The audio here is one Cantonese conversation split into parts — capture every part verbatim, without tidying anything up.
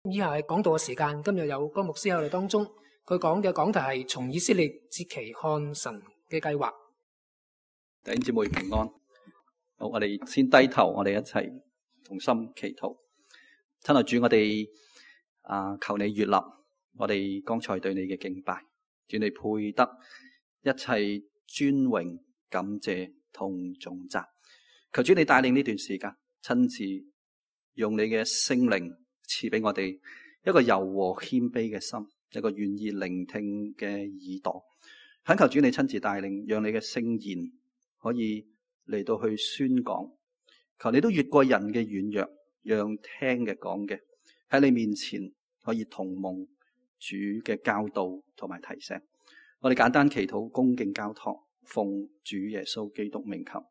以下係講道嘅時間，今日有江牧師喺我哋當中，佢講嘅講題係從以色列節期看神嘅計劃。弟兄姊妹平安。好，我哋先低頭，我哋一齊同心祈禱。親愛主，我哋啊，求你悅納我哋剛才對你嘅敬拜，主你配得一切尊榮、感謝同頌讚。求主你帶領呢段時間，親自用你嘅聖靈賜俾我哋一個柔和謙卑嘅心，一個願意聆聽嘅耳朵。懇求主你親自帶領，讓你嘅聖言可以嚟到去宣講。求你都越過人嘅軟弱，讓聽嘅講嘅喺你面前可以同蒙主嘅教導同埋提醒。我哋簡單祈禱，恭敬交託，奉主耶穌基督名求。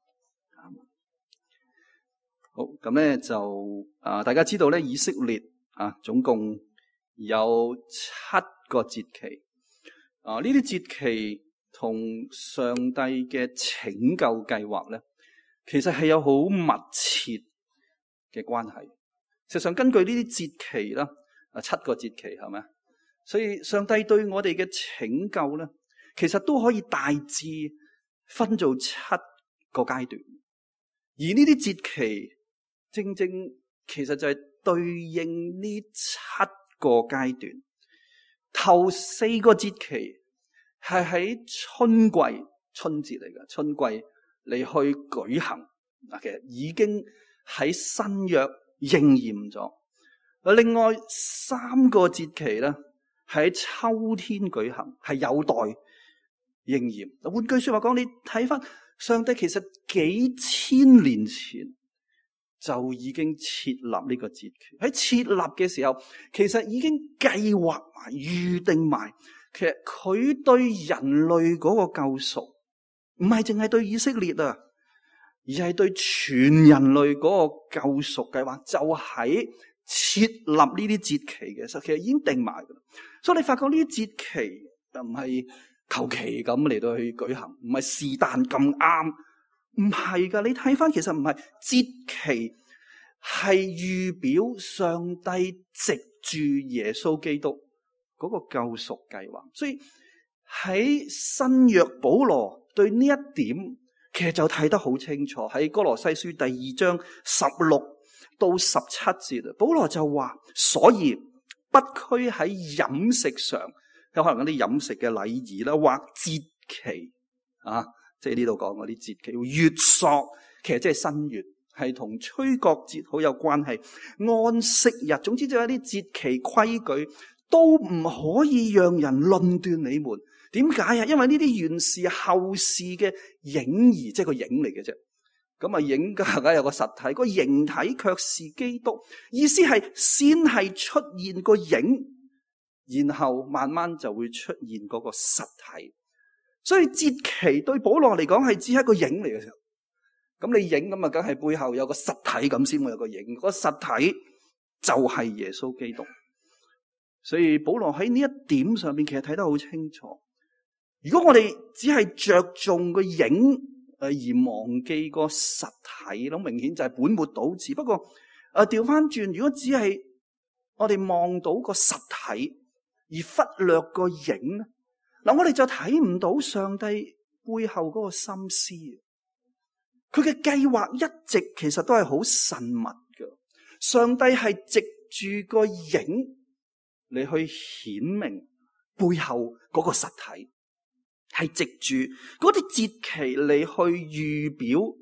好，咁咧就啊，大家知道咧，以色列啊，總共有七個節期啊。呢啲節期同上帝嘅拯救計劃咧，其實係有好密切嘅關係。實際上，根據呢啲節期啦，啊七個節期係咪？所以上帝對我哋嘅拯救咧，其實都可以大致分做七個階段。而呢啲節期正正其實就係對應呢七個階段。頭四個節期係喺春季，春節嚟嘅，春季嚟去舉行。嗱，其實已經喺新約應驗咗。另外三個節期咧喺秋天舉行，係有待應驗。換句說話講，你睇翻上帝其實幾千年前就已經設立呢個節期。喺設立嘅時候，其實已經計劃埋、預定埋。其實佢對人類嗰個救贖，唔係淨係對以色列啊，而係對全人類嗰個救贖計劃，就喺設立呢啲節期嘅時候，其實已經定埋噶啦。所以你發覺呢啲節期就唔係求其咁嚟到去舉行，唔係是但咁啱。唔係噶，你睇翻其實唔係，節期係預表上帝藉住耶穌基督嗰個救贖計劃。所以喺新約保羅對呢一點其實就睇得好清楚。喺哥羅西書第二章十六到十七節，保羅就話：所以不拘喺飲食上，有可能嗰啲飲食嘅禮儀啦，或節期啊。即係呢度講嗰啲節期，月朔其實即係新月，係同吹角節好有關係。安息日，總之就係啲節期規矩都唔可以讓人論斷你們。點解啊？因為呢啲原是後事嘅影兒，即係個影嚟嘅啫。咁啊，影梗係有個實體，個形體卻是基督。意思係先係出現個影，然後慢慢就會出現嗰個實體。所以節期對保羅嚟講係只係一個影嚟嘅時候，咁你影咁啊，梗係背後有個實體咁先會有個影，個實體就係耶穌基督。所以保羅喺呢一點上面其實睇得好清楚。如果我哋只係着重個影誒而忘記個實體，咁明顯就係本末倒置。不過誒調翻轉，如果只係我哋望到個實體而忽略個影咧，嗱，我哋就睇唔到上帝背後嗰個心思。佢嘅計劃一直其實都係好慎密嘅。上帝係藉住個影嚟去顯明背後嗰個實體，係藉住嗰啲節期嚟去預表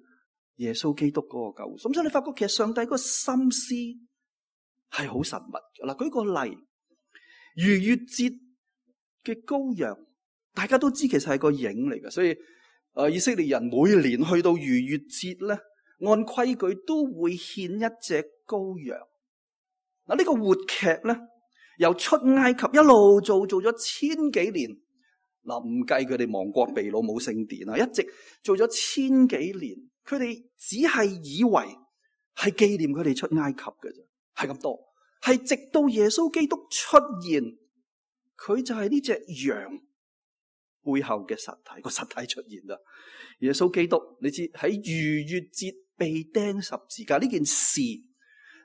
耶穌基督嗰個救贖。咁所以你發覺其實上帝嗰個心思係好慎密嘅。嗱，舉個例，逾越節嘅羔羊，大家都知其實係個影嚟嘅，所以誒、呃、以色列人每年去到逾越節咧，按規矩都會獻一隻羔羊。嗱，呢個活劇咧，由出埃及一路做做咗千幾年，嗱，唔計佢哋亡國被擄冇聖殿啊，一直做咗千幾年，佢哋只係以為係紀念佢哋出埃及嘅啫，係咁多，係直到耶穌基督出現，佢就係呢隻羊背後嘅實體，個實體出現啦。耶穌基督，你知喺逾越節被釘十字架呢件事，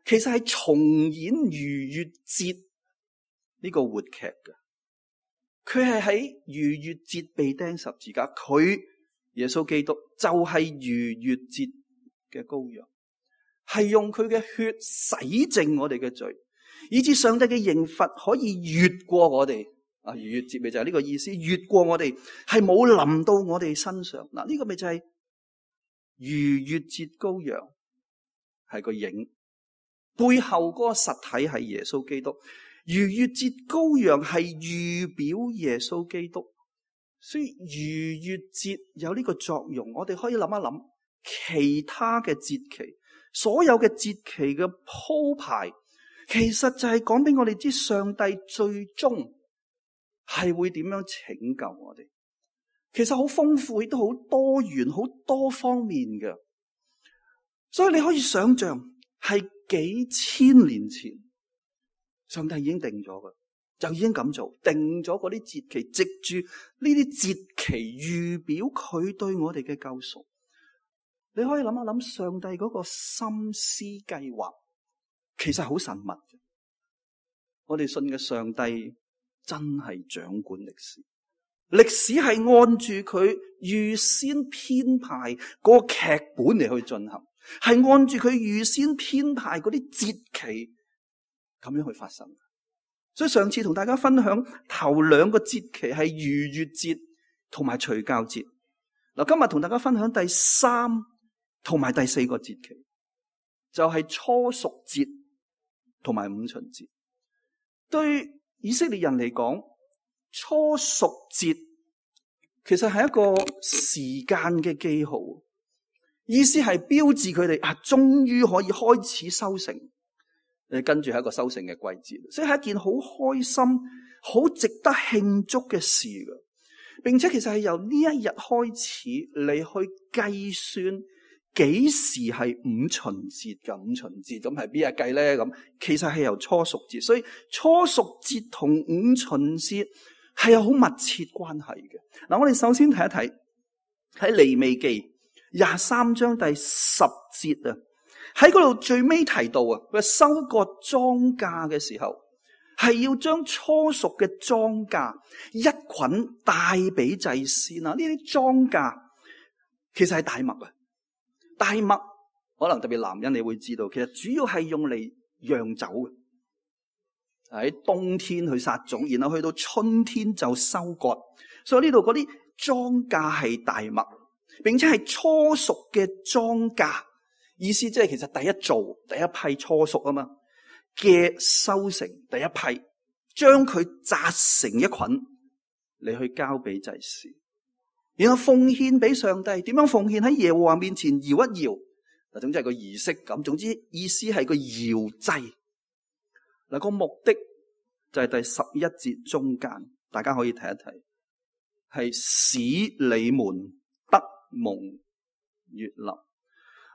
其實係重演逾越節呢個活劇嘅。佢係喺逾越節被釘十字架，佢耶穌基督就係逾越節嘅羔羊，係用佢嘅血洗淨我哋嘅罪，以致上帝嘅刑罰可以越過我哋。啊，逾越節咪就係呢個意思，越過我哋，係冇臨到我哋身上。嗱，呢個咪就係逾越節羔羊，係個影，背後嗰個實體係耶穌基督。逾越節羔羊係預表耶穌基督，所以逾越節有呢個作用。我哋可以諗一諗其他嘅節期，所有嘅節期嘅鋪排，其實就係講俾我哋知上帝最終係會點樣拯救我哋。其實好豐富，亦都好多元，好多方面嘅。所以你可以想象係幾千年前上帝已經定咗嘅，就已經咁做，定咗嗰啲節期，藉住呢啲節期預表佢對我哋嘅救贖。你可以諗一諗上帝嗰個心思計劃，其實好神密嘅。我哋信嘅上帝真係掌管歷史，歷史係按住佢預先編排嗰個劇本嚟去進行，係按住佢預先編排嗰啲節期咁樣去發生。所以上次同大家分享頭兩個節期係逾越節同埋除酵節。嗱，今日同大家分享第三同埋第四個節期，就係初熟節同埋五旬節。對以色列人嚟講，初熟節其實係一個時間嘅記號，意思係標誌佢哋啊，終於可以開始收成。誒，跟住係一個收成嘅季節，所以係一件好開心、好值得慶祝嘅事嘅。並且其實係由呢一日開始，你去計算幾時係五旬節嘅。五旬節咁係邊日計咧？咁其實係由初熟節，所以初熟節同五旬節係有好密切關係嘅。嗱，我哋首先睇一睇喺利未記廿三章第十節啊。喺嗰度最尾提到啊，佢收割莊稼嘅時候，係要將初熟嘅莊稼一捆帶俾祭司啊。呢啲莊稼其實係大麥啊，大麥可能特別男人你會知道，其實主要係用嚟釀酒嘅，喺冬天去撒種，然後去到春天就收割。所以呢度嗰啲莊稼係大麥，並且係初熟嘅莊稼。意思即係其實第一造第一批初熟啊嘛嘅收成，第一批將佢紮成一捆嚟去交俾祭司，然後奉獻俾上帝。點樣奉獻？喺耶和華面前搖一搖嗱，總之係個儀式感。總之意思係個搖祭嗱，個目的就係第十一節中間，大家可以睇一睇，係使你們得蒙悅納。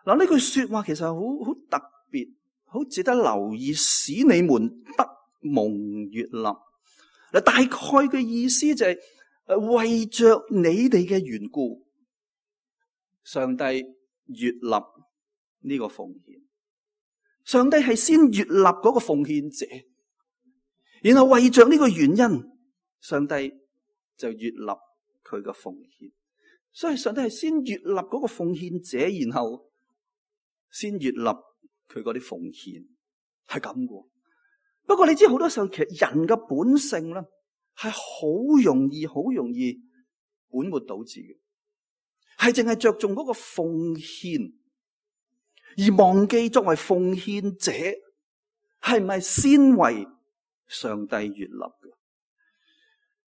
嗱，呢句說話其實好好特別，好值得留意。使你們得蒙悅納嗱，大概嘅意思就係、是、誒為着你哋嘅緣故，上帝悅納呢個奉獻。上帝係先悅納嗰個奉獻者，然後為着呢個原因，上帝就悅納佢嘅奉獻。所以上帝係先悅納嗰個奉獻者，然後先悅納佢嗰啲奉獻，係咁嘅。不過你知好多時候，其實人嘅本性咧係好容易、好容易本末倒置嘅，係淨係着重嗰個奉獻，而忘記作為奉獻者係唔係先為上帝悅納嘅，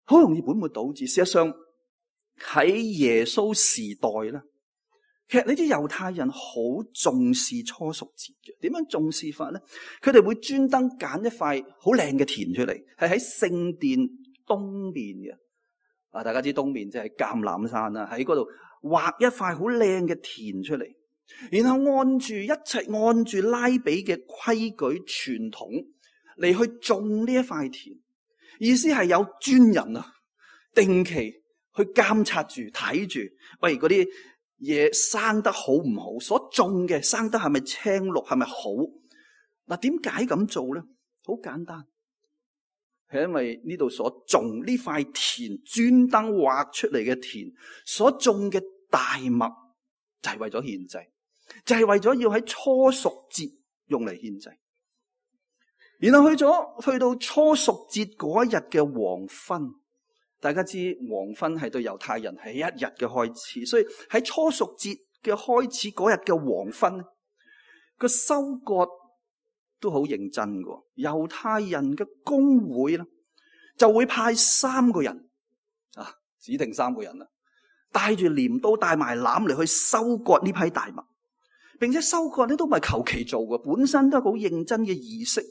好容易本末倒置。事實上喺耶穌時代咧，其實你知猶太人好重視初熟節嘅。點樣重視法咧？佢哋會專登揀一塊好靚嘅田出嚟，係喺聖殿東面嘅。啊，大家知東面即係橄欖山啦，喺嗰度畫一塊好靚嘅田出嚟，然後按住一切按住拉比嘅規矩傳統嚟去種呢一塊田。意思係有專人啊，定期去監察住睇住，喂嗰啲嘢生得好唔好？所種嘅生得係咪青綠？係咪好？嗱，點解咁做咧？好簡單，係因為呢度所種呢塊田專登劃出嚟嘅田所種嘅大麥，就係為咗獻祭，就係為咗要喺初熟節用嚟獻祭。然後去咗去到初熟節嗰一日嘅黃昏，大家知黃昏係對猶太人係一日嘅開始，所以喺初熟節嘅開始嗰日嘅黃昏，個收割都好認真嘅。猶太人嘅公會咧，就會派三個人啊，指定三個人啦，帶住鐮刀帶埋籃嚟去收割呢批大麥，並且收割咧都唔係求其做嘅，本身都係好認真嘅儀式。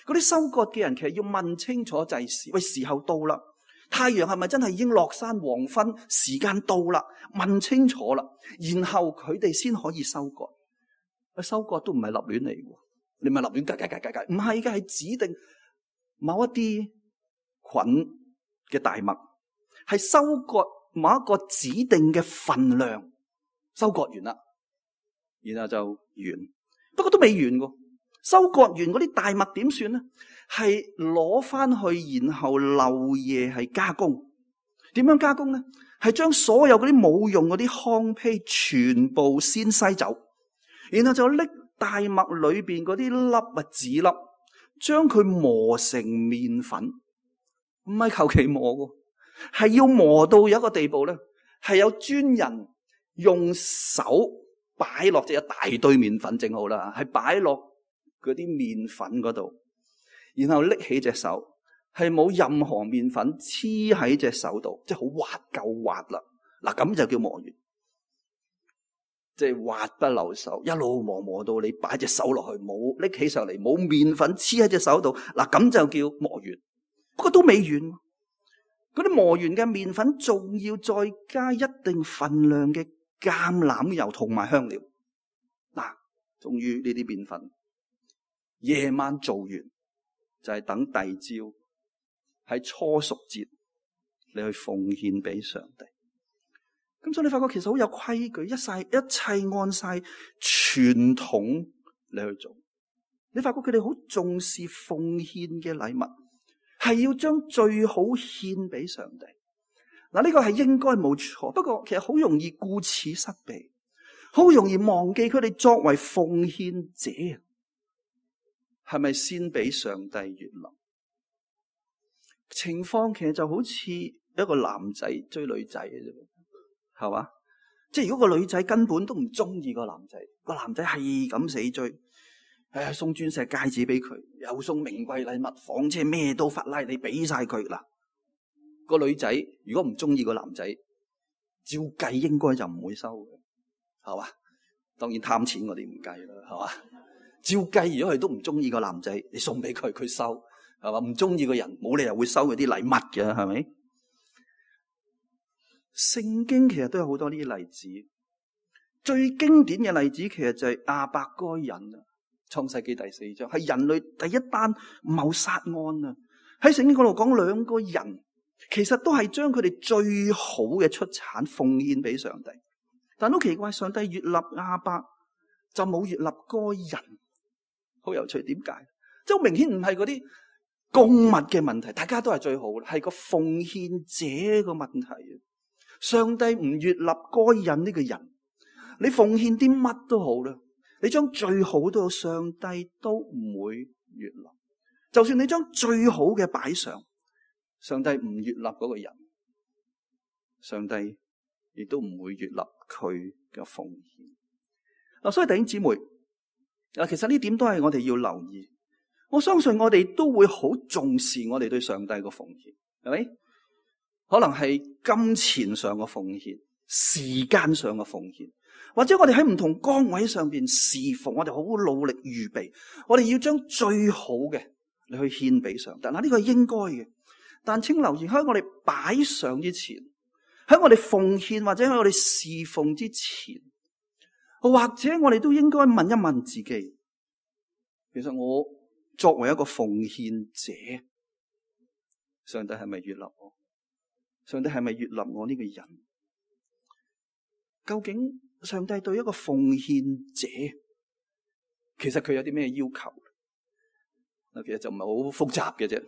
嗰啲收割嘅人其實要問清楚祭司，喂，時候到啦，太陽係咪真係已經落山，黃昏時間到啦？問清楚啦，然後佢哋先可以收割。收割都唔係立亂嚟嘅，你咪立亂計計計計計，唔係嘅，係指定某一啲捆嘅大麥，係收割某一個指定嘅份量，收割完啦，然後就完。不過都未完嘅。收割完嗰啲大麥點算咧？係攞翻去，然後漏夜係加工。點樣加工咧？係將所有嗰啲冇用嗰啲糠秕全部先篩走，然後就拎大麥裏邊嗰啲粒啊籽粒，將佢磨成麵粉。唔係求其磨嘅，係要磨到有一個地步咧，係有專人用手擺落，即係一大堆麵粉整好啦，係擺落嗰啲麵粉嗰度，然後拎起隻手，係冇任何麵粉黐喺隻手度，即係好滑夠滑啦。嗱，咁就叫磨完，即係滑不留手，一路磨磨到你擺隻手落去，冇拎起上嚟，冇麵粉黐喺隻手度。嗱，咁就叫磨完。不過都未完，嗰啲磨完嘅麵粉仲要再加一定份量嘅橄欖油同埋香料。嗱，終於呢啲麵粉夜晚做完，就係、是、等第二朝喺初熟節你去奉獻俾上帝。咁所以你發覺其實好有規矩，一晒一切按晒傳統你去做。你發覺佢哋好重視奉獻嘅禮物，係要將最好獻俾上帝。嗱，呢個係應該冇錯，不過其實好容易顧此失彼，好容易忘記佢哋作為奉獻者，係咪先俾上帝悅納？情況其實就好似一個男仔追女仔嘅啫，係嘛？即係如果個女仔根本都唔中意個男仔，個男仔係咁死追，誒，送鑽石戒指俾佢，又送名貴禮物、房車咩都法拉利俾晒佢啦。個女仔如果唔中意個男仔，照計應該就唔會收嘅，係嘛？當然貪錢我哋唔計啦，係嘛？照計如果佢都唔中意個男仔，你送俾佢佢收，係嘛？唔中意個人冇理由會收佢啲禮物嘅，係咪？聖經其實都有好多呢啲例子，最經典嘅例子其實就係亞伯該人啊，創世紀第四章係人類第一單謀殺案啊。喺聖經嗰度講兩個人，其實都係將佢哋最好嘅出產奉獻俾上帝，但都奇怪，上帝悅納亞伯就冇悅納該人，好有趣，點解？即係好明顯唔係嗰啲供物嘅問題，大家都係最好，係個奉獻者個問題。上帝唔悅納該人呢個人，你奉獻啲乜都好啦，你將最好都好，上帝都唔會悅納。就算你將最好嘅擺上，上帝唔悅納嗰個人，上帝亦都唔會悅納佢嘅奉獻。嗱，所以弟兄姊妹，嗱，其實呢點都係我哋要留意。我相信我哋都會好重視我哋對上帝嘅奉獻，係咪？可能係金錢上嘅奉獻，時間上嘅奉獻，或者我哋喺唔同崗位上邊侍奉，我哋好努力預備，我哋要將最好嘅你去獻俾上帝。嗱，呢個係應該嘅，但請留意喺我哋擺上之前，喺我哋奉獻或者喺我哋侍奉之前，或者我哋都應該問一問自己，其實我作為一個奉獻者，上帝係咪悅納我？上帝係咪悅納我呢個人？究竟上帝對一個奉獻者，其實佢有啲咩要求？嗱，其實就唔係好複雜嘅啫。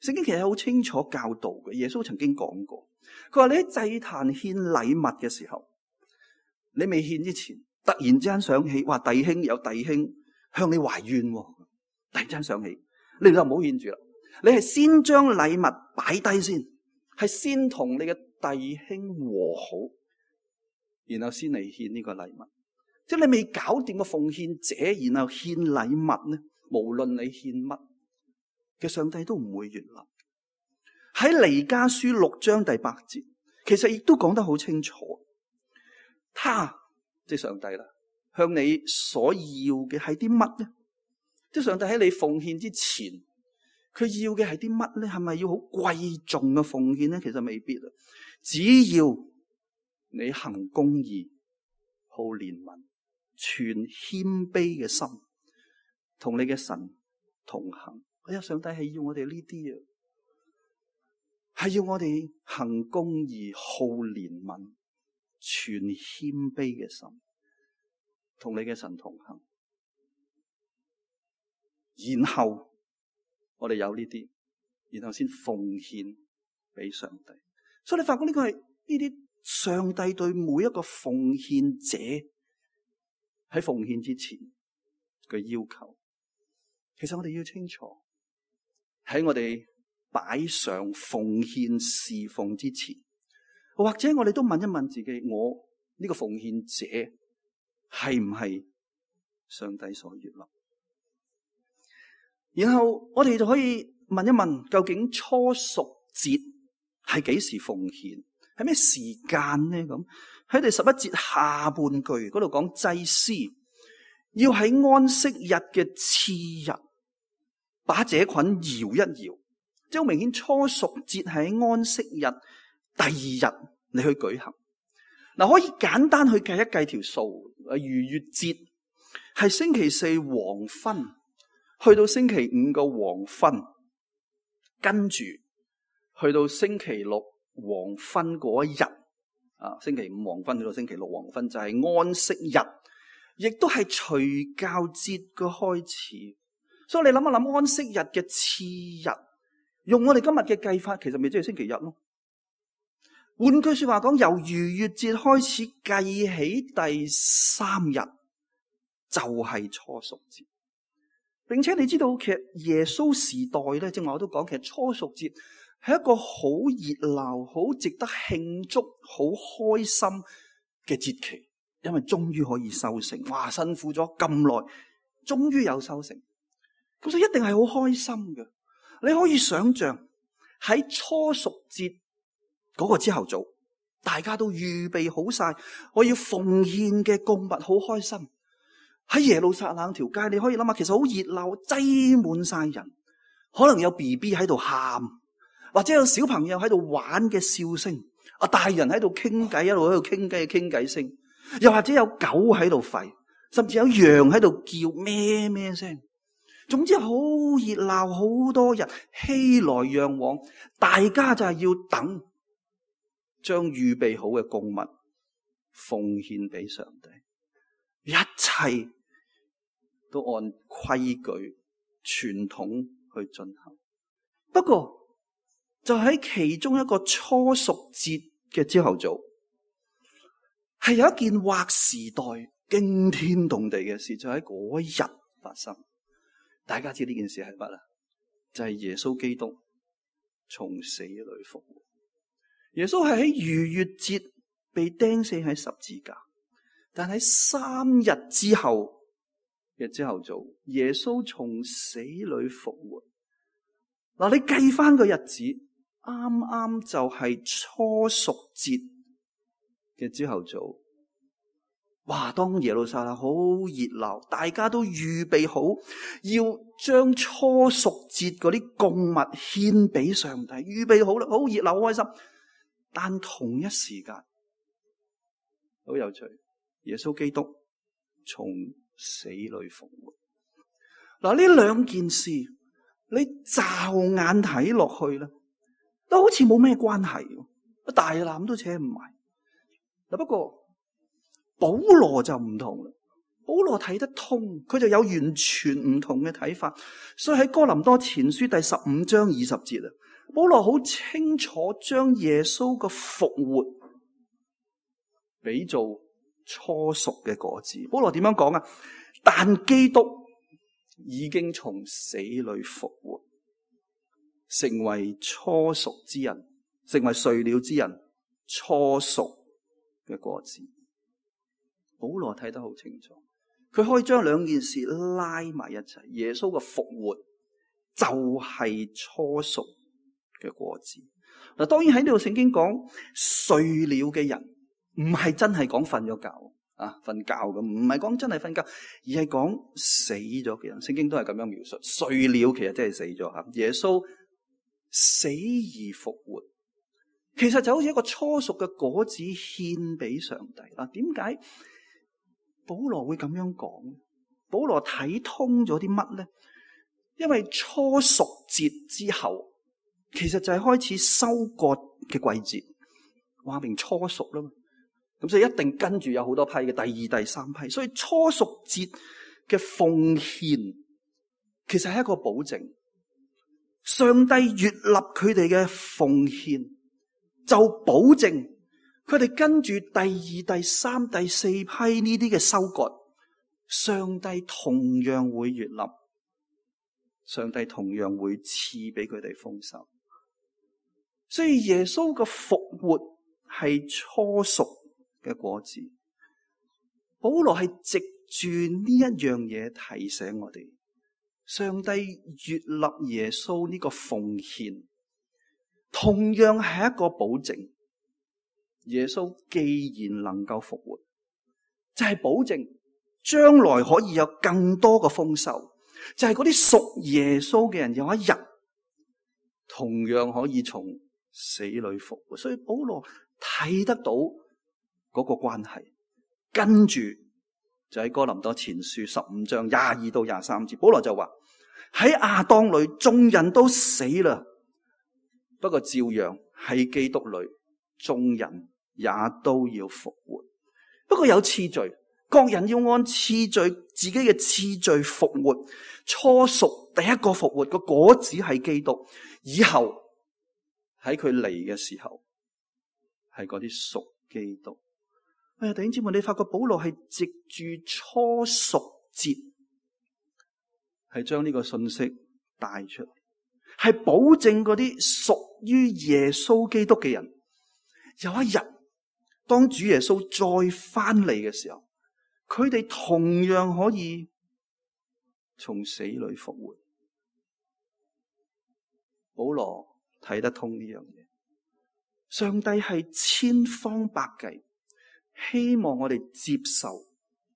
聖經其實好清楚教導嘅。耶穌曾經講過，佢話你喺祭壇獻禮物嘅時候，你未獻之前，突然之間想起，話弟兄有弟兄向你懷怨，突然之間想起，你就唔好獻住啦。你係先將禮物擺低先，係先同你嘅弟兄和好，然後先嚟獻呢個禮物。即係你未搞掂個奉獻者，然後獻禮物呢，無論你獻乜嘅，上帝都唔會悅納。喺彌迦書六章第八節，其實亦都講得好清楚。他即係上帝啦，向你所要嘅係啲乜呢？即係上帝喺你奉獻之前，佢要嘅係啲乜呢？係咪要好貴重嘅奉獻呢？其實未必啊。只要你行公義、好憐憫、存謙卑嘅心，同你嘅神同行。哎呀，上帝係要我哋呢啲啊，係要我哋行公義、好憐憫、存謙卑嘅心，同你嘅神同行。然後我哋有呢啲，然後先奉獻俾上帝。所以你發覺呢個係呢啲上帝對每一個奉獻者喺奉獻之前嘅要求。其實我哋要清楚，喺我哋擺上奉獻侍奉之前，或者我哋都問一問自己，我呢個奉獻者係唔係上帝所悅納？然後我哋就可以問一問，究竟初熟節係幾時奉獻？係咩時間呢？咁喺第十一節下半句嗰度講，祭司要喺安息日嘅次日把這捆搖一搖，即係好明顯初熟節係喺安息日第二日你去舉行。嗱，可以簡單去計一計條數，逾越節係星期四黃昏去到星期五嘅黃昏，跟住去到星期六黃昏嗰一日，啊，星期五黃昏去到星期六黃昏就係安息日，亦都係除酵節嘅開始。所以你諗一諗，安息日嘅次日，用我哋今日嘅計法，其實咪即係星期日咯。換句說話講，由逾越節開始計起第三日就係初熟節。並且你知道，其實耶穌時代咧，正話我都講，其實初熟節係一個好熱鬧、好值得慶祝、好開心嘅節期，因為終於可以收成。哇，辛苦咗咁耐，終於有收成，咁所以一定係好開心嘅。你可以想象喺初熟節嗰個朝頭早，大家都預備好晒，我要奉獻嘅供物，好開心。喺耶路撒冷條街，你可以諗下，其實好熱鬧，擠滿晒人，可能有 B B 喺度喊，或者有小朋友喺度玩嘅笑聲，啊，大人喺度傾偈，一路喺度傾偈嘅傾偈聲，又或者有狗喺度吠，甚至有羊喺度叫咩咩聲。總之好熱鬧，好多人熙來攘往，大家就係要等，將預備好嘅供物奉獻俾上帝，一切都按規矩傳統去進行。不過就喺其中一個初熟節嘅朝頭早，係有一件劃時代驚天動地嘅事，就喺嗰一日發生。大家知呢件事係乜啊？就係耶穌基督從死裏復活。耶穌係喺逾越節被釘死喺十字架，但喺三日之後嘅朝頭早，耶穌從死裏復活。嗱，你計翻個日子，啱啱就係初熟節嘅朝頭早。哇！當耶路撒冷好熱鬧，大家都預備好要將初熟節嗰啲供物獻俾上帝，預備好啦，好熱鬧，好開心。但同一時間，好有趣，耶穌基督從死裏復活。嗱，呢兩件事你驟眼睇落去啦，都好似冇咩關係，大纜都扯唔埋。嗱，不過保羅就唔同啦。保羅睇得通，佢就有完全唔同嘅睇法。所以喺哥林多前書第十五章二十節啊，保羅好清楚將耶穌嘅復活比做初熟嘅果子。保羅點樣講啊？但基督已經從死裏復活，成為初熟之人，成為睡了之人初熟嘅果子。保羅睇得好清楚，佢可以將兩件事拉埋一齊。耶穌嘅復活就係初熟嘅果子。嗱，當然喺呢度聖經講睡了嘅人，唔係真係講瞓咗覺啊，瞓覺咁，唔係講真係瞓覺，而係講死咗嘅人。聖經都係咁樣描述，睡了其實真係死咗吓。耶穌死而復活，其實就好似一個初熟嘅果子獻俾上帝啊。點解保羅會咁樣講？保羅睇通咗啲乜咧？因為初熟節之後，其實就係開始收割嘅季節，話明初熟啦嘛。咁所以一定跟住有好多批嘅，第二、第三批。所以初熟節嘅奉獻，其實係一個保證。上帝悅納佢哋嘅奉獻，就保證佢哋跟住第二、第三、第四批呢啲嘅收割，上帝同樣會悅納，上帝同樣會賜俾佢哋豐收。所以耶穌嘅復活係初熟嘅果子。保羅係藉住呢一樣嘢提醒我哋，上帝悅納耶穌呢個奉獻，同樣係一個保證。耶穌既然能夠復活，就係保證將來可以有更多嘅豐收，就係嗰啲屬耶穌嘅人有一日同樣可以從死裏復活。所以保羅睇得到嗰個關係，跟住就喺哥林多前書十五章廿二到廿三節，保羅就話喺亞當裏眾人都死啦，不過照樣喺基督裏眾人也都要復活。不過有次序，各人要按次序自己嘅次序復活。初熟第一個復活個果子係基督，以後喺佢嚟嘅時候係嗰啲屬基督。哎呀，弟兄姊妹，你發覺保羅係藉住初熟節係將呢個信息帶出嚟，係保證嗰啲屬於耶穌基督嘅人，有一日當主耶穌再翻嚟嘅時候，佢哋同樣可以從死裏復活。保羅睇得通呢樣嘢，上帝係千方百計希望我哋接受、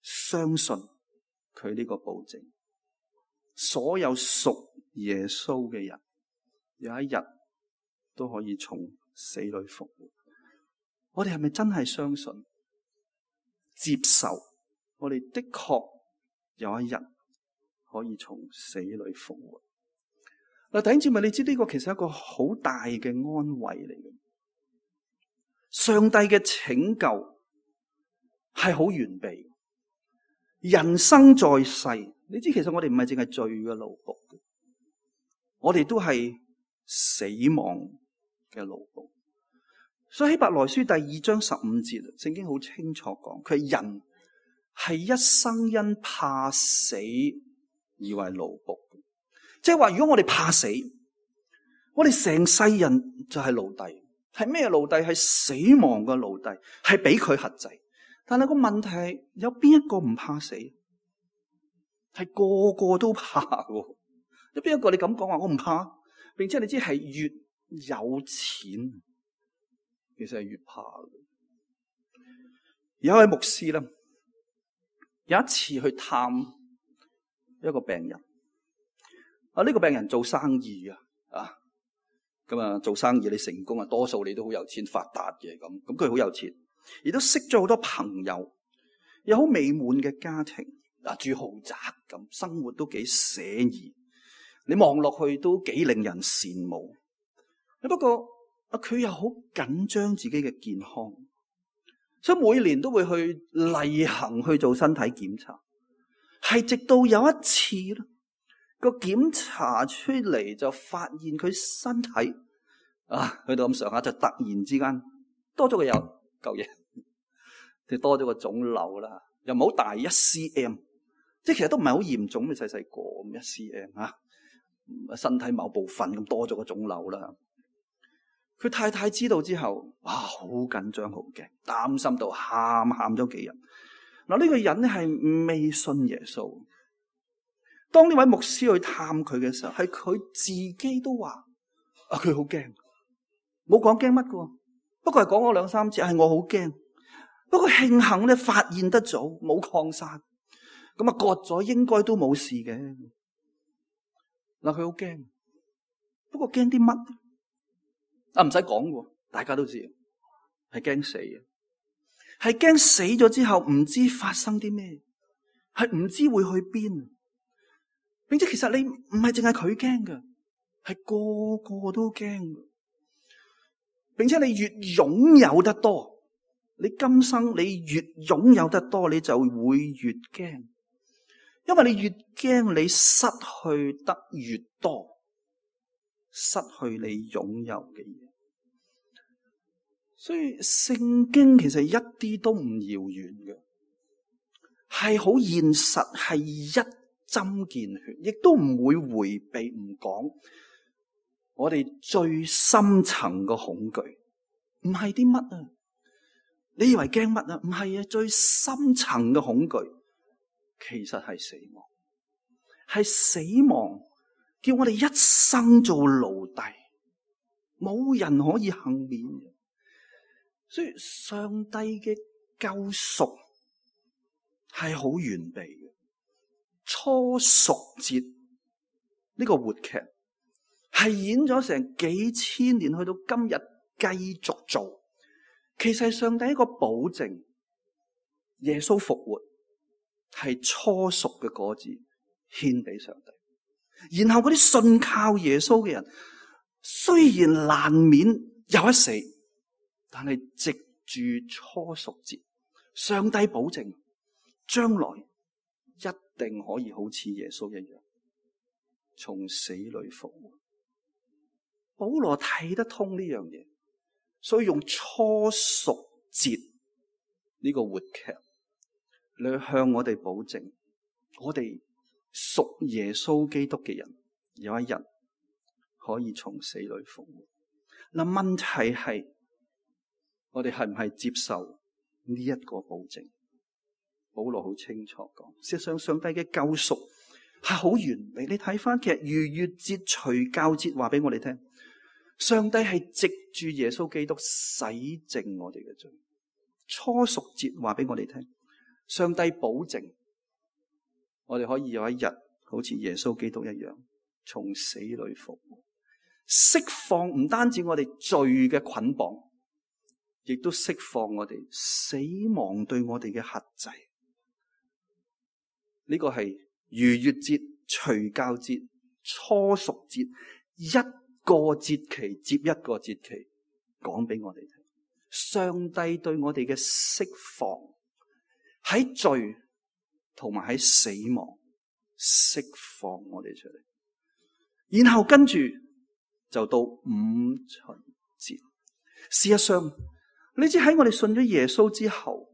相信佢呢個保證。所有屬耶穌嘅人，有一日都可以從死裏復活。我哋係咪真係相信、接受？我哋的確有一日可以從死裏復活。嗱，弟兄姊妹，你知呢個其實係一個好大嘅安慰嚟嘅。上帝嘅拯救係好完備。人生在世，你知其實我哋唔係淨係罪嘅奴僕，我哋都係死亡嘅奴僕。所以希伯來書第二章十五節，聖經好清楚講，佢係人係一生因怕死而為奴僕。即係話，如果我哋怕死，我哋成世人就係奴隸。係咩奴隸？係死亡嘅奴隸，係俾佢轄制。但係個問題係，有邊一個唔怕死？係個個都怕嘅。有邊一個你咁講話我唔怕？並且你知係越有錢，其實係越怕嘅。有一位牧師咧，有一次去探一個病人。啊，呢個病人做生意啊，啊，咁啊做生意你成功啊，多數你都好有錢發達嘅咁。咁佢好有錢，亦都識咗好多朋友，有好美滿嘅家庭，啊住豪宅咁，生活都幾寫意。你望落去都幾令人羨慕。不過啊，佢又好緊張自己嘅健康，所以每年都會去例行去做身體檢查。係直到有一次咧，個檢查出嚟就發現佢身體啊，去到咁上下就突然之間多咗個有嚿嘢，就多咗個腫瘤啦，又唔好大一 cm， 即係其實都唔係好嚴重，咁細細個咁一 cm 吓，身體某部分咁多咗個腫瘤啦。佢太太知道之後，哇，好緊張，好驚，擔心到喊喊咗幾日。嗱，呢個人咧係未信耶穌。當呢位牧師去探佢嘅時候，係佢自己都話：啊，佢好驚，冇講驚乜㗎，不過係講咗兩三次，係我好驚。不過慶幸咧發現得早，冇擴散，咁啊割咗應該都冇事嘅。嗱，佢好驚，不過驚啲乜？啊，唔使講喎，大家都知，係驚死嘅，係驚死咗之後唔知發生啲咩，係唔知會去邊，並且其實你唔係淨係佢驚嘅，係個個都驚，並且你越擁有得多，你今生你越擁有得多，你就會越驚，因為你越驚，你失去得越多，失去你擁有嘅嘢。所以聖經其實一啲都唔遙遠嘅，係好現實，係一針見血，亦都唔會回避唔講。我哋最深層嘅恐懼唔係啲乜啊？你以為驚乜啊？唔係啊，最深層嘅恐懼其實係死亡，係死亡叫我哋一生做奴隸，冇人可以幸免嘅。所以上帝嘅救贖係好完備嘅。初贖節呢個活劇係演咗成幾千年，去到今日繼續做。其實上帝一個保證，耶穌復活係初熟嘅果子獻俾上帝。然後嗰啲信靠耶穌嘅人，雖然難免有一死，但係藉住初熟節，上帝保證將來一定可以好似耶穌一樣從死裏復活。保羅睇得通呢樣嘢，所以用初熟節呢個活劇嚟向我哋保證，我哋屬耶穌基督嘅人有一日可以從死裏復活。嗱，問題係我哋係唔係接受呢一個保證？保羅好清楚講，事實上上帝嘅救贖係好完美。你睇翻其實逾越節、除酵節話俾我哋聽，上帝係藉住耶穌基督洗淨我哋嘅罪。初贖節話俾我哋聽，上帝保證我哋可以有一日好似耶穌基督一樣從死裏復活，釋放唔單止我哋罪嘅捆綁，亦都釋放我哋死亡對我哋嘅轄制。呢個係逾越節、除酵節、初贖節，一個節期接一個節期講俾我哋聽。上帝對我哋嘅釋放，喺罪同埋喺死亡釋放我哋出嚟，然後跟住就到五旬節。事實上，你知喺我哋信咗耶穌之後，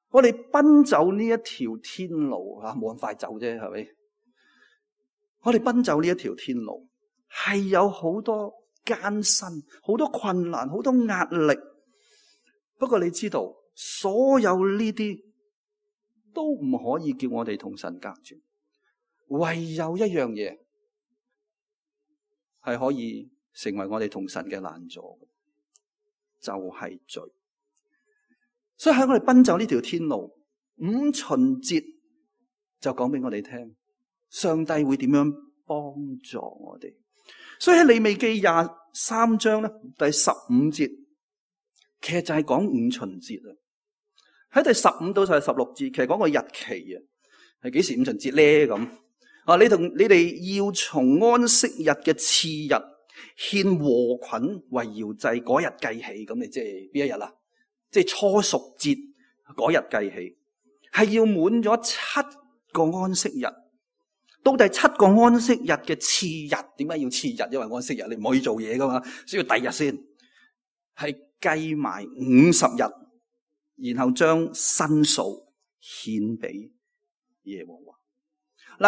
我哋奔走呢一條天路啊，冇咁快走啫，係咪？我哋奔走呢一條天路係有好多艱辛、好多困難、好多壓力。不過你知道，所有呢啲都唔可以叫我哋同神隔絕，唯有一樣嘢係可以成為我哋同神嘅攔阻，就係罪。所以喺我哋奔走呢條天路，五旬節就講俾我哋聽，上帝會點樣幫助我哋。所以喺利未記廿三章咧，第十五節，其實就係講五旬節啊。喺第十五到第十六節，其實講個日期啊，係幾時五旬節咧？咁啊，你同你哋要從安息日嘅次日獻禾捆為搖祭嗰日計起，咁你即係邊一日啊？即係初贖節嗰日計起，係要滿咗七個安息日。到第七個安息日嘅次日，點解要次日？因為安息日你唔可以做嘢噶嘛，需要第二日先。係計埋五十日，然後將新數獻俾耶和華。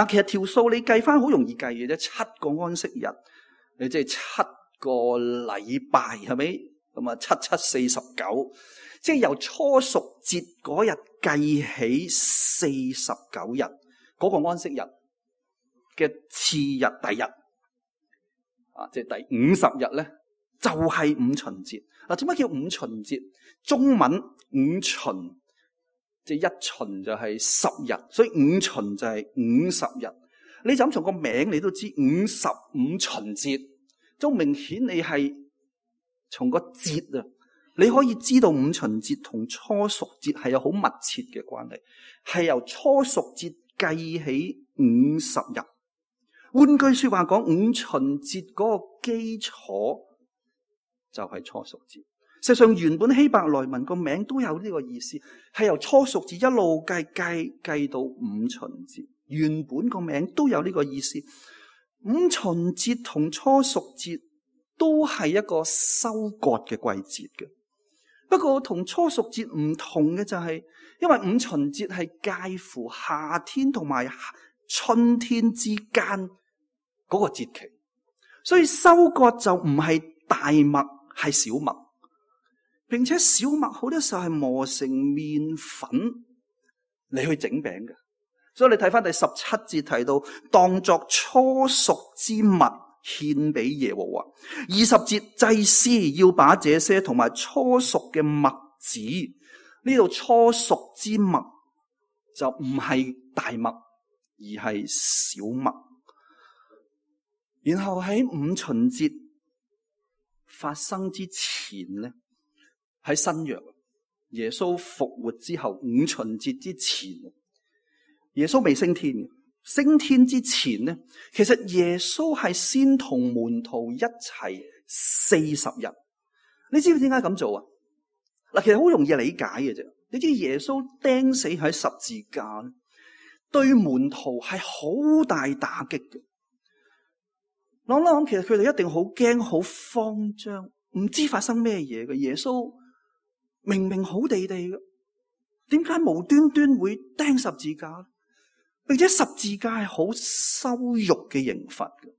嗱，其實條數你計翻好容易計嘅啫，七個安息日，你即係七個禮拜，係咪？咁啊，七七四十九，即係由初熟節嗰日計起四十九日，嗰個安息日嘅次日第日，啊，即係第五十日咧，就係五旬節。嗱，點解叫五旬節？中文五旬，即係一旬就係十日，所以五旬就係五十日。你就咁從個名你都知五十五旬節，都明顯你係從個節啊，你可以知道五旬節同初熟節係有好密切嘅關係，係由初熟節計起五十日。換句說話講，五旬節嗰個基礎就係初熟節。實際上原本希伯來文個名都有呢個意思，係由初熟節一路計計計到五旬節。原本個名都有呢個意思。五旬節同初熟節都係一個收割嘅季節嘅。不過同初熟節唔同嘅就係，因為五旬節係介乎夏天同埋春天之間嗰個節期，所以收割就唔係大麥，係小麥，並且小麥好多時候係磨成麵粉嚟去整餅嘅。所以你睇翻第十七節提到，當作初熟之物獻俾耶和華。二十節，祭司要把這些同埋初熟嘅麥子，呢度初熟之麥就唔係大麥，而係小麥。然後喺五旬節發生之前咧，喺新約耶穌復活之後，五旬節之前，耶穌未升天，升天之前咧，其實耶穌係先同門徒一齊四十日。你知唔知點解咁做啊？嗱，其實好容易理解嘅啫。你知耶穌釘死喺十字架，對門徒係好大打擊嘅。諗諗，其實佢哋一定好驚、好慌張，唔知發生咩嘢嘅。耶穌明明好地地嘅，點解無端端會釘十字架？並且十字架係好羞辱嘅刑罰嘅，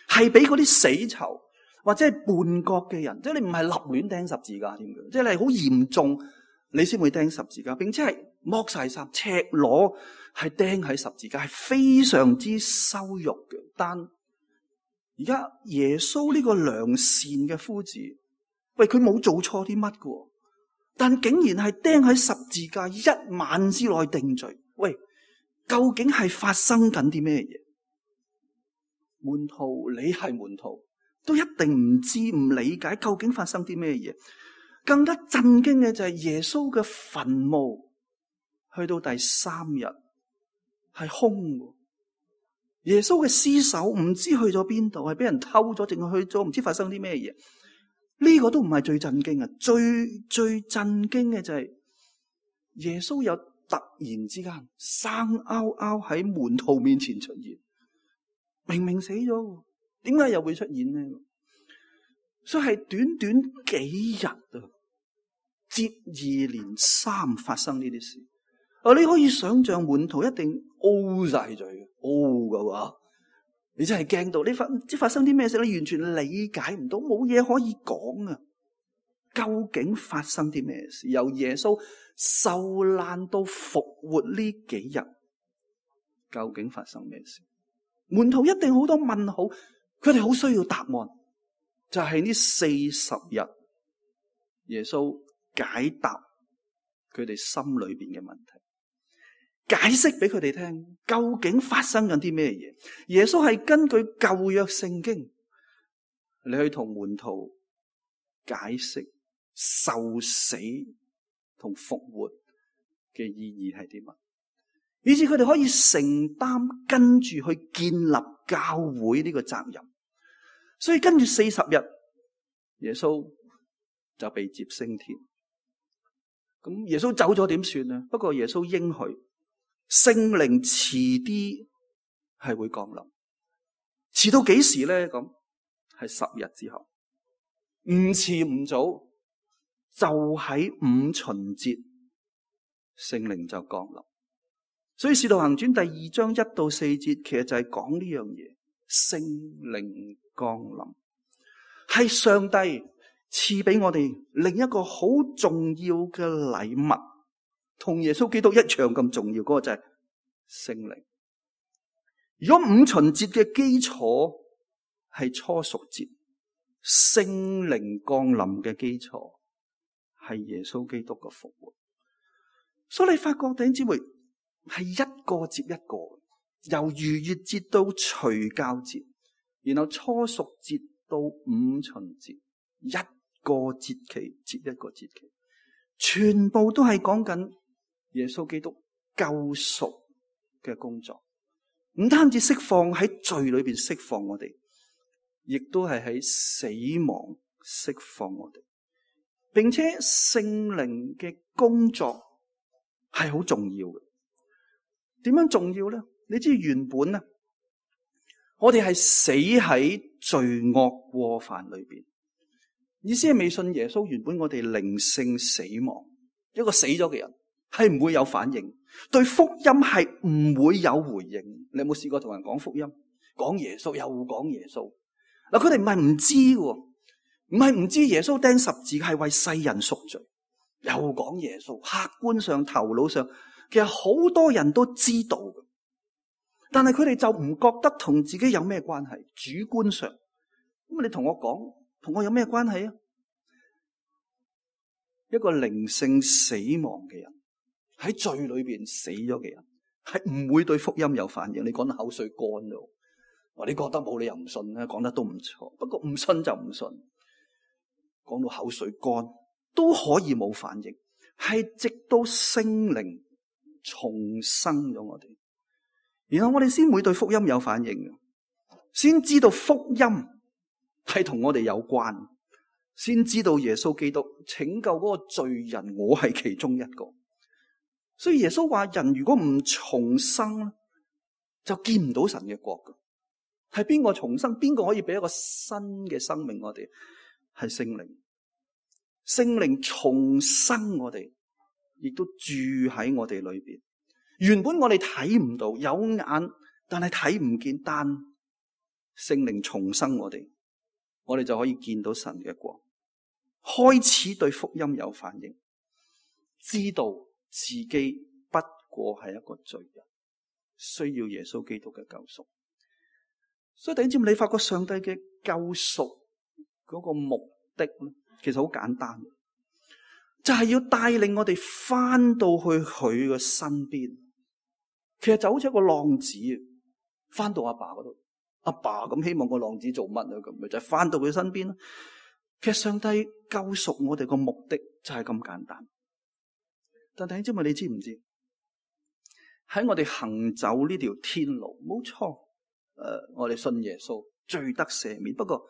係俾嗰啲死囚或者係叛國嘅人，即係你唔係立亂釘十字架添嘅，即係你係好嚴重，你先會釘十字架，並且係剝晒衫、赤裸，係釘喺十字架，係非常之羞辱嘅。但而家耶穌呢個良善嘅夫子，喂，佢冇做錯啲乜嘅，但竟然係釘喺十字架，一晚之內定罪。喂，究竟係發生緊啲咩嘢？門徒，你係門徒，都一定唔知唔理解究竟發生啲咩嘢。更加震驚嘅就係耶穌嘅墳墓，去到第三日係空嘅。耶穌嘅屍首唔知去咗邊度，係俾人偷咗，定係去咗唔知發生啲咩嘢？呢、這個都唔係最震驚啊！最最震驚嘅就係耶穌有突然之間生勾勾喺門徒面前出現，明明死咗，點解又會出現呢？所以係短短幾日啊，接二連三發生呢啲事。啊！你可以想象門徒一定 O 晒嘴嘅 O 噶喎，你真係驚到你發唔知發生啲咩事，你完全理解唔到，冇嘢可以講啊！究竟發生啲咩事？由耶穌受難到復活呢幾日，究竟發生咩事？門徒一定好多問號，佢哋好需要答案。就係呢四十日，耶穌解答佢哋心裏邊嘅問題。解釋俾佢哋聽，究竟發生緊啲咩嘢？耶穌係根據舊約聖經，你去同門徒解釋受死同復活嘅意義係啲乜，以致佢哋可以承擔跟住去建立教會呢個責任。所以跟住四十日，耶穌就被接升天。咁耶穌走咗點算啊？不過耶穌應許，聖靈遲啲係會降臨，遲到幾時咧？咁係十日之後，唔遲唔早，就喺五旬節，聖靈就降臨。所以《使徒行傳》第二章一到四節，其實就係講呢樣嘢，聖靈降臨係上帝賜俾我哋另一個好重要嘅禮物，同耶穌基督一樣咁重要，嗰個就係聖靈。如果五旬節嘅基礎係初熟節，聖靈降臨嘅基礎係耶穌基督嘅復活。所以你發覺弟兄姊妹係一個接一個，由逾越節到除酵節，然後初熟節到五旬節，一個節期接一個節期，全部都係講緊耶穌基督救贖嘅工作。唔單止釋放喺罪裏邊釋放我哋，亦都係喺死亡釋放我哋，並且聖靈嘅工作係好重要嘅。點樣重要咧？你知原本咧，我哋係死喺罪惡過犯裏邊。意思係未信耶穌，原本我哋靈性死亡，一個死咗嘅人係唔會有反應，對福音係唔會有回應。你有冇試過同人講福音，講耶穌又講耶穌？嗱，佢哋唔係唔知喎，唔係唔知耶穌釘十字係為世人贖罪，又講耶穌。客觀上、頭腦上，其實好多人都知道嘅，但係佢哋就唔覺得同自己有咩關係。主觀上，咁你同我講，同我有咩關係啊？一個靈性死亡嘅人，喺罪裏邊死咗嘅人，係唔會對福音有反應。你講得口水乾咗，話你覺得冇理由唔信咧，講得都唔錯。不過唔信就唔信，講到口水乾都可以冇反應，係直到聖靈重生咗我哋，然後我哋先會對福音有反應，先知道福音係同我哋有關，先知道耶穌基督拯救嗰個罪人，我係其中一個。所以耶穌話：人如果唔重生，就見唔到神嘅國㗎。係邊個重生？邊個可以俾一個新嘅生命我哋？係聖靈。聖靈重生我哋，亦都住喺我哋裏邊。原本我哋睇唔到，有眼但係睇唔見，但聖靈重生我哋，我哋就可以見到神嘅國，開始對福音有反應，知道自己不過係一個罪人，需要耶穌基督嘅救贖。所以弟兄姊妹，你發覺上帝嘅救贖嗰個目的咧，其實好簡單，就係要帶領我哋翻到去佢嘅身邊。其實就好似一個浪子翻到阿爸嗰度，阿爸咁希望個浪子做乜啊？咁咪就係翻到佢身邊咯。其實上帝救贖我哋個目的就係咁簡單。但弟兄姊妹，你知唔知喺我哋行走呢條天路，冇錯，誒、呃，我哋信耶穌，罪得赦免。不過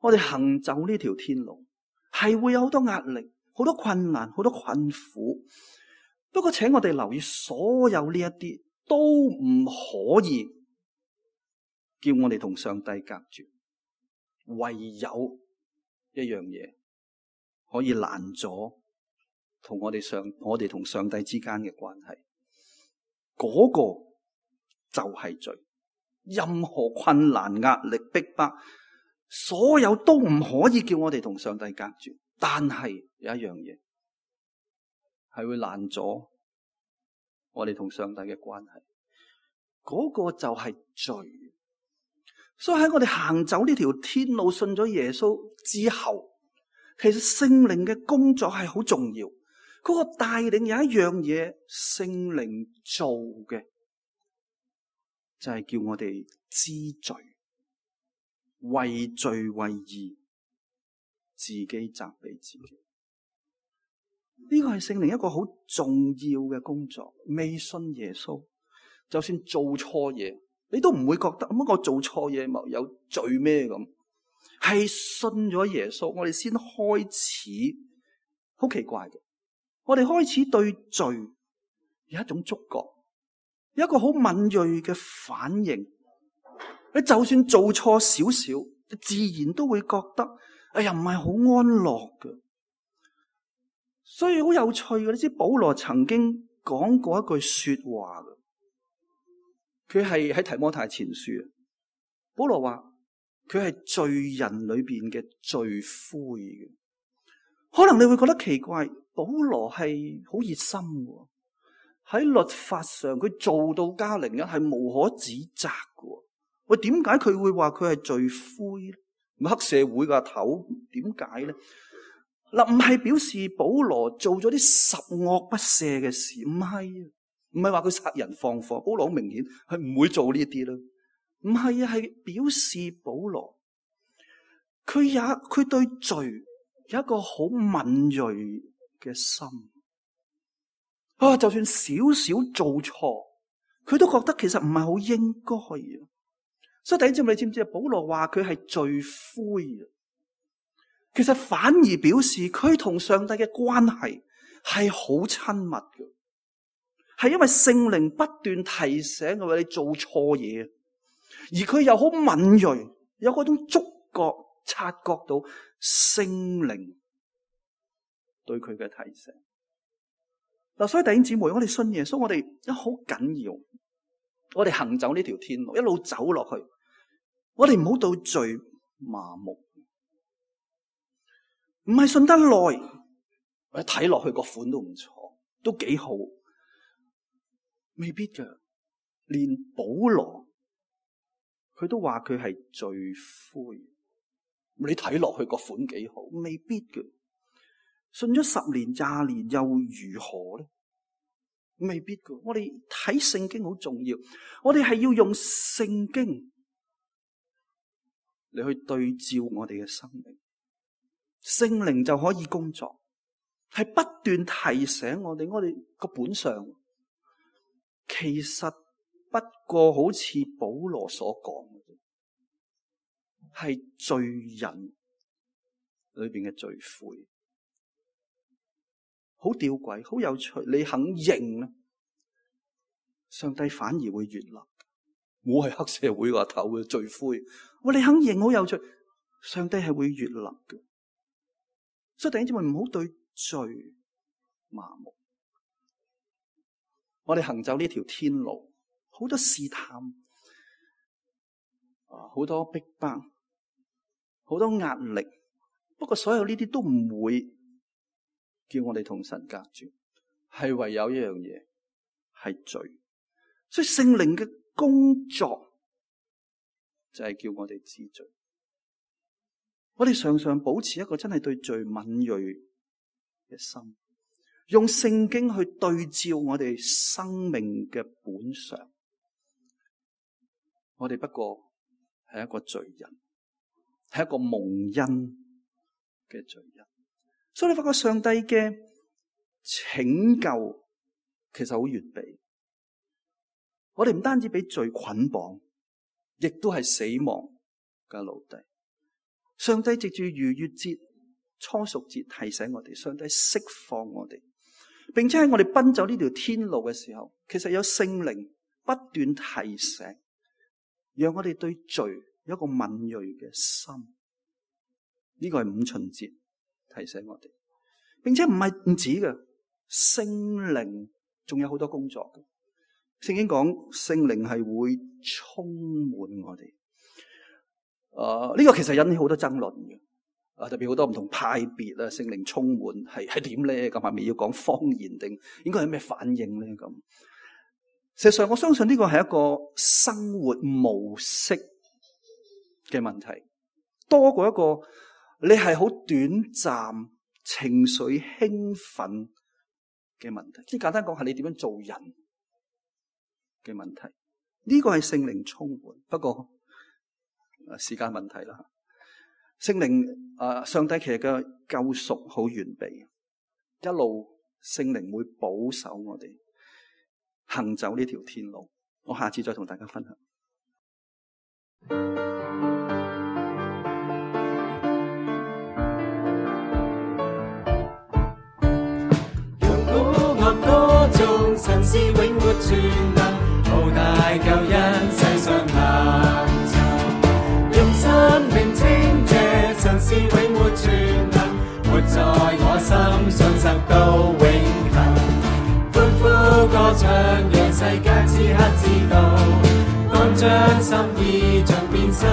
我哋行走呢條天路係會有好多壓力、好多困難、好多困苦。不過請我哋留意，所有呢一啲都唔可以叫我哋同上帝隔絕，唯有一樣嘢可以攔阻同我哋上我哋同上帝之間嘅關係，嗰個就係罪。任何困難、壓力、逼迫，所有都唔可以叫我哋同上帝隔絕。但係有一樣嘢係會攔阻我哋同上帝嘅關係，嗰個就係罪。所以喺我哋行走呢條天路，信咗耶穌之後，其實聖靈嘅工作係好重要。嗰個帶領有一樣嘢，聖靈做嘅就係叫我哋知罪，為罪為義，自己責備自己。呢個係聖靈一個好重要嘅工作。未信耶穌，就算做錯嘢，你都唔會覺得乜我做錯嘢咪有罪咩咁？係信咗耶穌，我哋先開始。好奇怪嘅，我哋開始對罪有一種觸覺，有一個好敏銳嘅反應。你就算做錯少少，自然都會覺得，哎呀，唔係好安樂嘅。所以好有趣嘅，你知保羅曾經講過一句說話嘅，佢係喺提摩太前書。保羅話佢係罪人裏邊嘅罪魁嘅。可能你會覺得奇怪，保羅係好熱心嘅，喺律法上佢做到加零一係無可指責嘅。喂，點解佢會話佢係罪魁咧？黑社會個頭，點解咧？嗱，唔係表示保羅做咗啲十惡不赦嘅事，唔係，唔係話佢殺人放火。保羅好明顯係唔會做呢啲啦。唔係啊，係表示保羅佢也佢對罪有一個好敏銳嘅心。啊，就算少少做錯，佢都覺得其實唔係好應該啊。所以第一節你知唔知啊？保羅話佢係罪魁啊，其實反而表示佢同上帝嘅關係係好親密嘅，係因為聖靈不斷提醒佢話你做錯嘢，而佢又好敏銳，有嗰種觸覺察覺到聖靈對佢嘅提醒。嗱，所以弟兄姊妹，我哋信耶穌，我哋一好緊要，我哋行走呢條天路，一路走落去。我哋唔好到罪麻木，唔係信得耐，我睇落去個款都唔錯，都幾好，未必㗎。連保羅佢都話佢係罪魁，你睇落去個款幾好，未必㗎。信咗十年廿年又如何咧？未必㗎。我哋睇聖經好重要，我哋係要用聖經你去對照我哋嘅生命，聖靈就可以工作，係不斷提醒我哋，我哋個本相其實不過好似保羅所講嘅，係罪人裏邊嘅罪魁。好吊詭，好有趣。你肯認啊，上帝反而會悅納。我係黑社會個頭嘅罪魁，我你肯認好有趣，上帝係會悅納嘅。所以弟兄姊妹唔好對罪麻木。我哋行走呢條天路，好多試探，啊，好多逼迫，好多壓力。不過所有呢啲都唔會叫我哋同神隔絕，係唯有一樣嘢係罪。所以聖靈嘅工作就係叫我哋知罪。我哋常常保持一個真係對罪敏銳嘅心，用聖經去對照我哋生命嘅本相。我哋不過係一個罪人，係一個蒙恩嘅罪人。所以你發覺上帝嘅拯救其實好完備。我哋唔單止俾罪捆綁，亦都係死亡嘅奴隸。上帝藉住逾越節、初熟節提醒我哋，上帝釋放我哋，並且喺我哋奔走呢條天路嘅時候，其實有聖靈不斷提醒，讓我哋對罪有一個敏銳嘅心。呢個係五旬節提醒我哋，並且唔係唔止嘅，聖靈仲有好多工作嘅。聖經講聖靈係會充滿我哋，誒、呃、呢、這個其實引起好多爭論嘅，啊特別好多唔同派別啊，聖靈充滿係係點咧？咁係咪要講方言定應該係咩反應咧？咁事實上我相信呢個係一個生活模式嘅問題，多過一個你係好短暫情緒興奮嘅問題。即係簡單講係你點樣做人嘅問題，呢、這個係聖靈充滿，不過時間問題啦。聖靈啊，上帝其實嘅救贖好完備，一路聖靈會保守我哋行走呢條天路。我下次再同大家分享。用鼓樂歌頌，神是永活全能。活在我心，信實到永恆。歡呼歌唱，讓世界此刻知道，當將心意盡變身。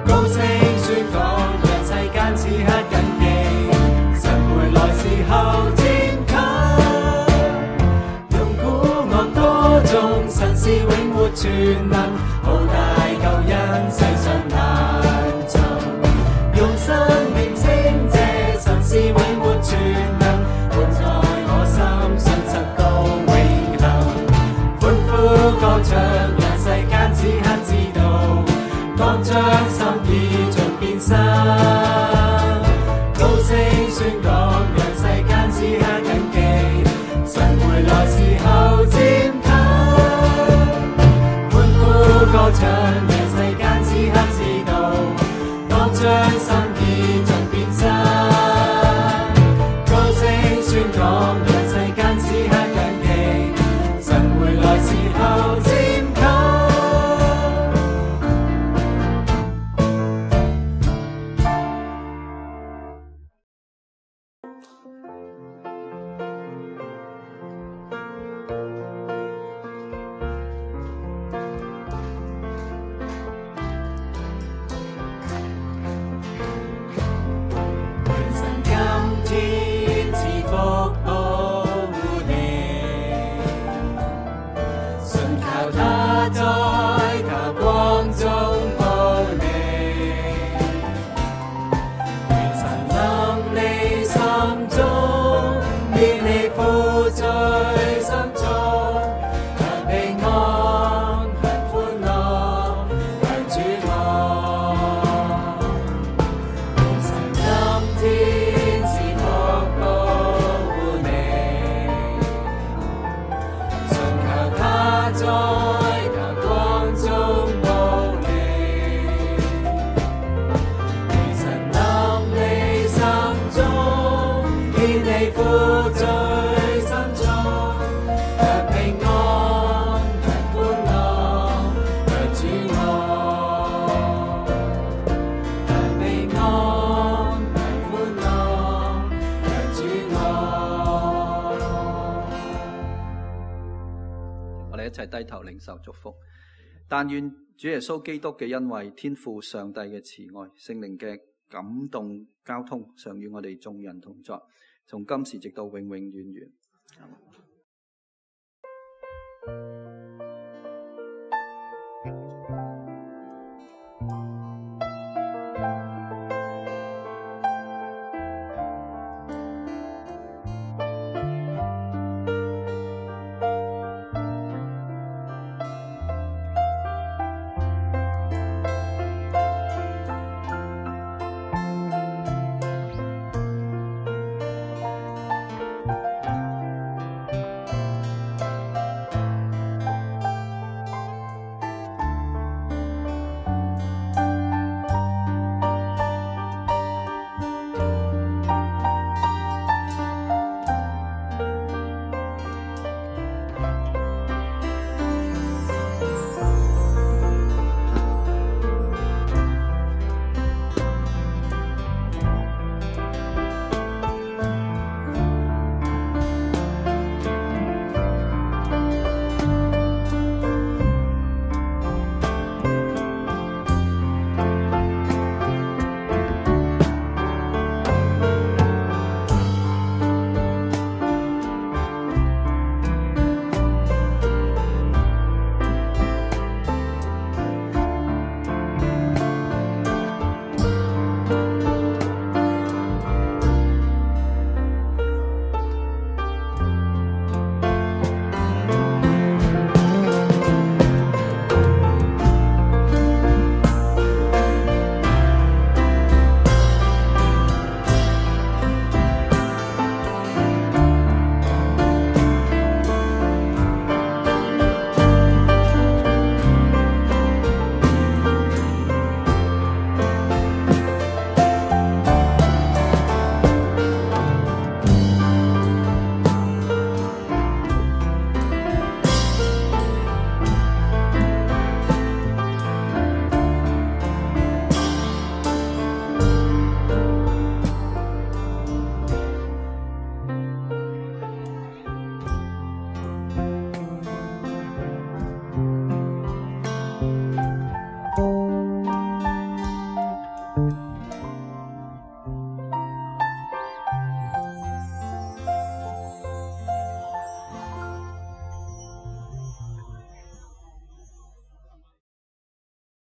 高聲宣講，讓世間此刻謹記，神回來時候漸近。用鼓樂歌頌，神是永活全能，浩大救恩世上難尋。用生命稱謝，神是永活全能，活在我心，信實到永恆。歡呼歌唱，讓世間此刻知道，當將心意盡變身。高聲宣講，讓世間此刻謹記，神回來時候漸近。歡呼歌唱，讓世間此刻知道，當將心意盡變身。高聲宣講，讓世間此刻謹記，神回來時候漸近。一齊低頭領受祝福，但願主耶穌基督嘅恩惠、天父上帝嘅慈愛、聖靈嘅感動交通，常與我哋眾人同在，從今時直到永永遠遠。